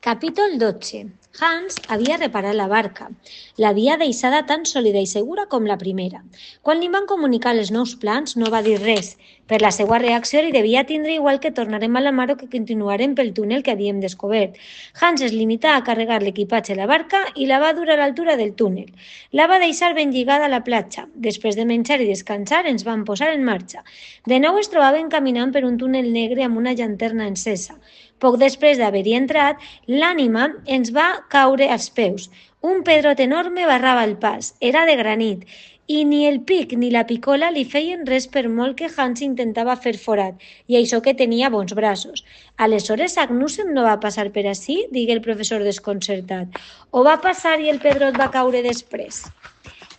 Capítol 12. Hans havia reparat la barca. L'havia deixada tan sòlida i segura com la primera. Quan li van comunicar els nous plans, no va dir res. Per la seva reacció li devia tindre igual que tornarem a la mar o que continuarem pel túnel que havíem descobert. Hans es limità a carregar l'equipatge a la barca i la va dur a l'altura del túnel. La va deixar ben lligada a la platja. Després de menjar i descansar, ens van posar en marxa. De nou es trobaven caminant per un túnel negre amb una llanterna encesa. Poc després d'haver-hi entrat, l'ànima ens va caure als peus. Un pedrot enorme barrava el pas. Era de granit. I ni el pic ni la picola li feien res per molt que Hans intentava fer forat, i això que tenia bons braços. Aleshores Agnussen no va passar per ací? Digué el professor desconcertat. O va passar i el pedrot va caure després?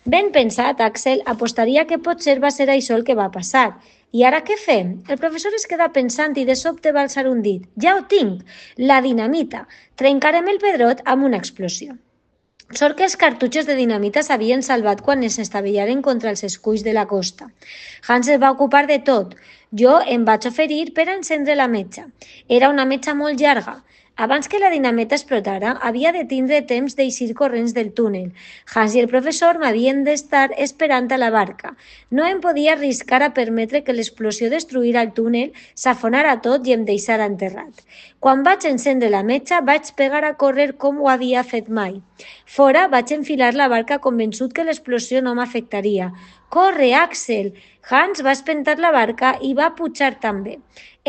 Ben pensat, Axel, apostaria que potser va ser això el que va passar. I ara què fem? El professor es queda pensant i de sobte va alçar un dit. Ja ho tinc! La dinamita! Trencarem el pedrot amb una explosió. Sort que els cartutxos de dinamita s'havien salvat quan es estavellaren contra els esculls de la costa. Hans es va ocupar de tot. Jo em vaig oferir per a encendre la metxa. Era una metxa molt llarga. Abans que la dinamita explotara, havia de tindre temps d'eixir corrents del túnel. Hans i el professor m'havien d'estar esperant a la barca. No em podia arriscar a permetre que l'explosió destruïra el túnel, s'afonara tot i em deixara enterrat. Quan vaig encendre la metxa, vaig pegar a córrer com ho havia fet mai. Fora, vaig enfilar la barca convençut que l'explosió no m'afectaria. «Corre, Axel!» Hans va espentar la barca i va pujar també.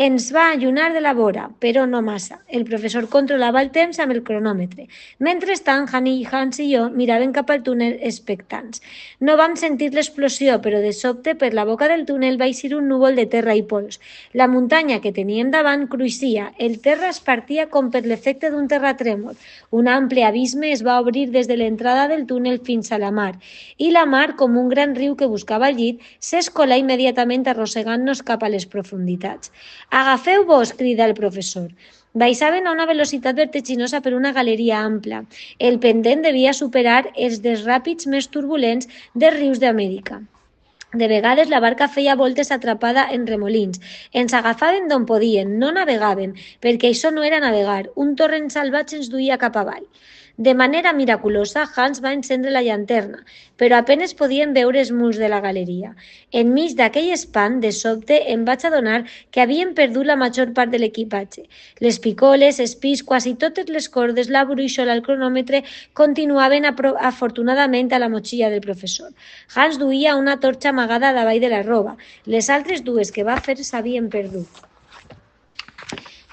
Ens va allunyar de la vora, però no massa. El professor controlava el temps amb el cronòmetre. Mentrestant, Hans i jo miraven cap al túnel expectants. No vam sentir l'explosió, però de sobte per la boca del túnel va eixir un núvol de terra i pols. La muntanya que teníem davant cruixia. El terra es partia com per l'efecte d'un terratrèmol. Un ample abisme es va obrir des de l'entrada del túnel fins a la mar. I la mar, com un gran riu que buscava el llit, s'escolà immediatament arrossegant-nos cap a les profunditats. «Agafeu-vos!», crida el professor. Baixaven a una velocitat vertiginosa per una galeria ampla. El pendent devia superar els dels ràpids més turbulents dels rius d'Amèrica. De vegades la barca feia voltes atrapada en remolins. Ens agafaven d'on podien, no navegaven, perquè això no era navegar. Un torrent salvatge ens duia cap avall. De manera miraculosa, Hans va encendre la llanterna, però apenes podien veure els murs de la galeria. Enmig d'aquell espant, de sobte, em vaig adonar que havien perdut la major part de l'equipatge. Les picoles, espís, quasi totes les cordes, la bruixola, el cronòmetre, continuaven afortunadament a la motxilla del professor. Hans duia una torxa amagada davall de la roba. Les altres dues que va fer s'havien perdut.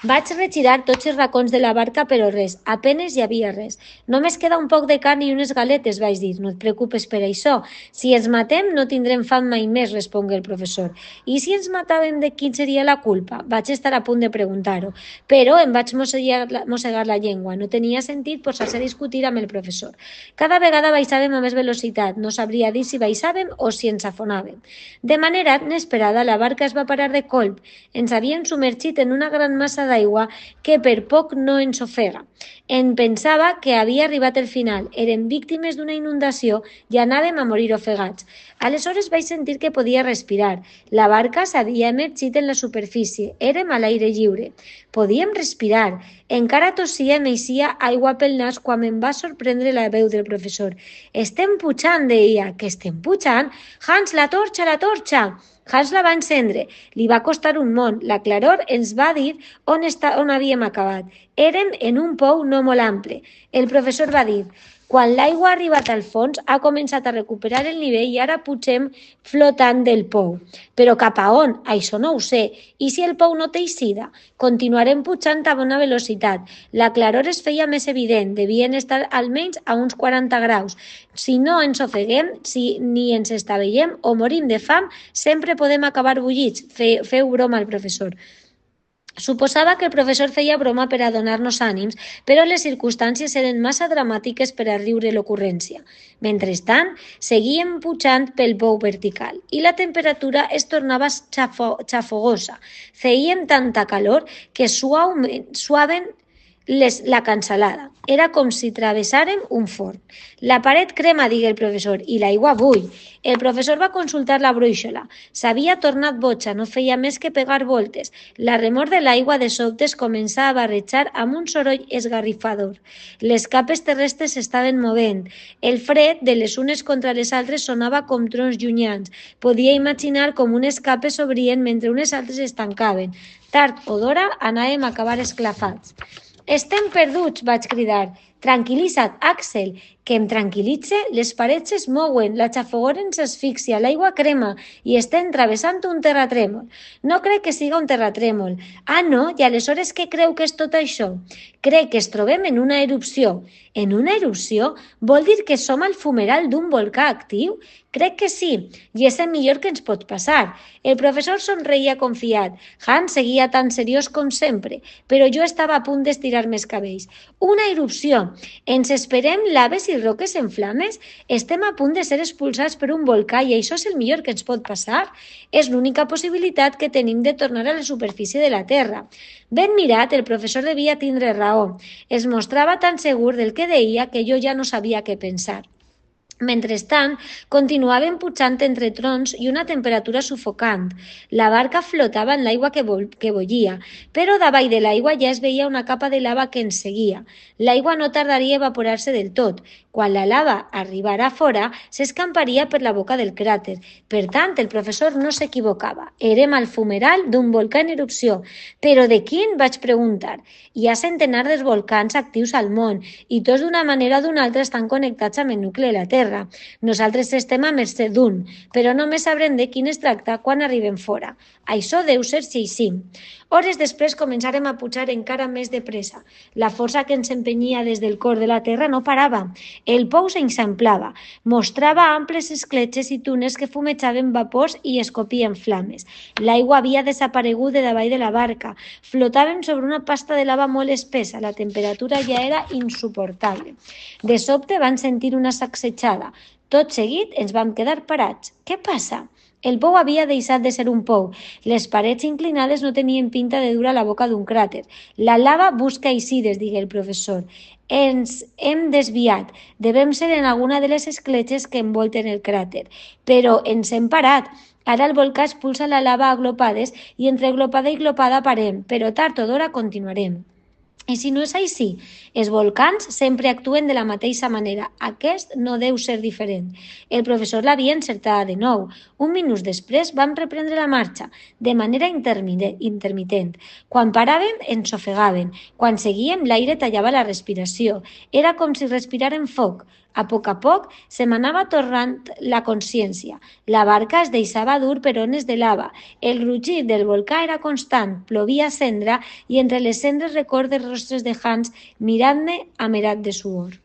Vaig retirar tots els racons de la barca, però res, apenes hi havia res. Només queda un poc de carn i unes galetes, vaig dir. No et preocupes per això. Si ens matem, no tindrem fam mai més, respongué el professor. I si ens matàvem, de quin seria la culpa? Vaig estar a punt de preguntar-ho, però em vaig mossegar la llengua. No tenia sentit posar-se a discutir amb el professor. Cada vegada baixàvem a més velocitat. No sabria dir si baixàvem o si ens afonàvem. De manera inesperada, la barca es va parar de colp. Ens havien submergit en una gran massa d'aigua que per poc no ens ofega. En pensava que havia arribat el final. Érem víctimes d'una inundació i anàvem a morir ofegats. Aleshores vaig sentir que podia respirar. La barca s'havia emergit en la superfície. Érem a l'aire lliure. Podíem respirar. Encara tossia i m'eixia aigua pel nas quan em va sorprendre la veu del professor. «Estem pujant», deia. «Que estem pujant? Hans, la torxa, la torxa!» Hans la va encendre. Li va costar un món. La claror ens va dir on havíem acabat. Érem en un pou no molt ample. El professor va dir: «Quan l'aigua ha arribat al fons, ha començat a recuperar el nivell i ara pugem flotant del pou. Però cap a on? Això no ho sé. I si el pou no té eixida? Continuarem pujant a bona velocitat. La claror es feia més evident. Devien estar almenys a uns 40 graus. Si no ens ofeguem, si ni ens estavellem o morim de fam, sempre podem acabar bullits», feu broma al professor. Suposava que el professor feia broma per a donar-nos ànims, però les circumstàncies eren massa dramàtiques per a riure l'ocurrència. Mentrestant, seguíem pujant pel pou vertical i la temperatura es tornava xafogosa. Fèiem tanta calor que suaven la cansalada. Era com si travessàrem un forn. La paret crema, digué el professor, i l'aigua bull. El professor va consultar la brúixola. S'havia tornat boja, no feia més que pegar voltes. La remor de l'aigua de sobte es començà a barrejar amb un soroll esgarrifador. Les capes terrestres s'estaven movent. El fred de les unes contra les altres sonava com trons llunyans. Podia imaginar com unes capes s'obrien mentre unes altres es tancaven. Tard o d'hora anàvem a acabar esclafats. «Estem perduts!», vaig cridar. «Tranquil·litza't, Axel, que em tranquil·litze? Les parets es mouen, la xafogor ens asfixia, l'aigua crema i estem travessant un terratrèmol. No crec que siga un terratrèmol. Ah, no? I aleshores què creu que és tot això? Crec que es trobem en una erupció. En una erupció? Vol dir que som al fumeral d'un volcà actiu? Crec que sí, i és el millor que ens pot passar». El professor somreia confiat. Hans seguia tan seriós com sempre, però jo estava a punt d'estirar més cabells. «Una erupció! Ens esperem laves i roques en flames? Estem a punt de ser expulsats per un volcà i això és el millor que ens pot passar? És l'única possibilitat que tenim de tornar a la superfície de la Terra». Ben mirat, el professor devia tindre raó. Es mostrava tan segur del que deia que jo ja no sabia què pensar. Mentrestant, continuaven pujant entre trons i una temperatura sufocant. La barca flotava en l'aigua que bullia, però davall de l'aigua ja es veia una capa de lava que ens seguia. L'aigua no tardaria a evaporar-se del tot. Quan la lava arribara fora, s'escamparia per la boca del cràter. Per tant, el professor no s'equivocava. Érem al fumeral d'un volcà en erupció. «Però de quin?», vaig preguntar. «Hi ha centenars de volcans actius al món i tots d'una manera o d'una altra estan connectats amb el nucli de la Terra. Nosaltres estem a mercè d'un, però només sabrem de quin es tracta quan arribem fora. Això deu ser així». Hores després començarem a pujar encara més de pressa. La força que ens empenyia des del cor de la Terra no parava. El pou s'eixamplava, mostrava amples escletxes i túnels que fumejaven vapors i escopien flames. L'aigua havia desaparegut de davall de la barca. Flotàvem sobre una pasta de lava molt espessa. La temperatura ja era insuportable. De sobte van sentir una sacsejada. Tot seguit ens vam quedar parats. «Què passa?» El pou havia deixat de ser un pou. Les parets inclinades no tenien pinta de dur a la boca d'un cràter. «La lava busca eixides», digué el professor. «Ens hem desviat. Devem ser en alguna de les escletxes que envolten el cràter. Però ens hem parat. Ara el volcà expulsa la lava a glopades i entre glopada i glopada parem, però tard o d'hora continuarem». I si no és així, els volcans sempre actuen de la mateixa manera. Aquest no deu ser diferent. El professor l'havia encertada de nou. Un minut després vam reprendre la marxa, de manera intermitent. Quan paràvem, ens ofegaven. Quan seguíem, l'aire tallava la respiració. Era com si respiràrem foc. A poc, se m'anava tornant la consciència. La barca es deixava dur per ones de lava. El rugir del volcà era constant, plovia cendra i entre les cendres record dels rostres de Hans mirant-me amerat de suor.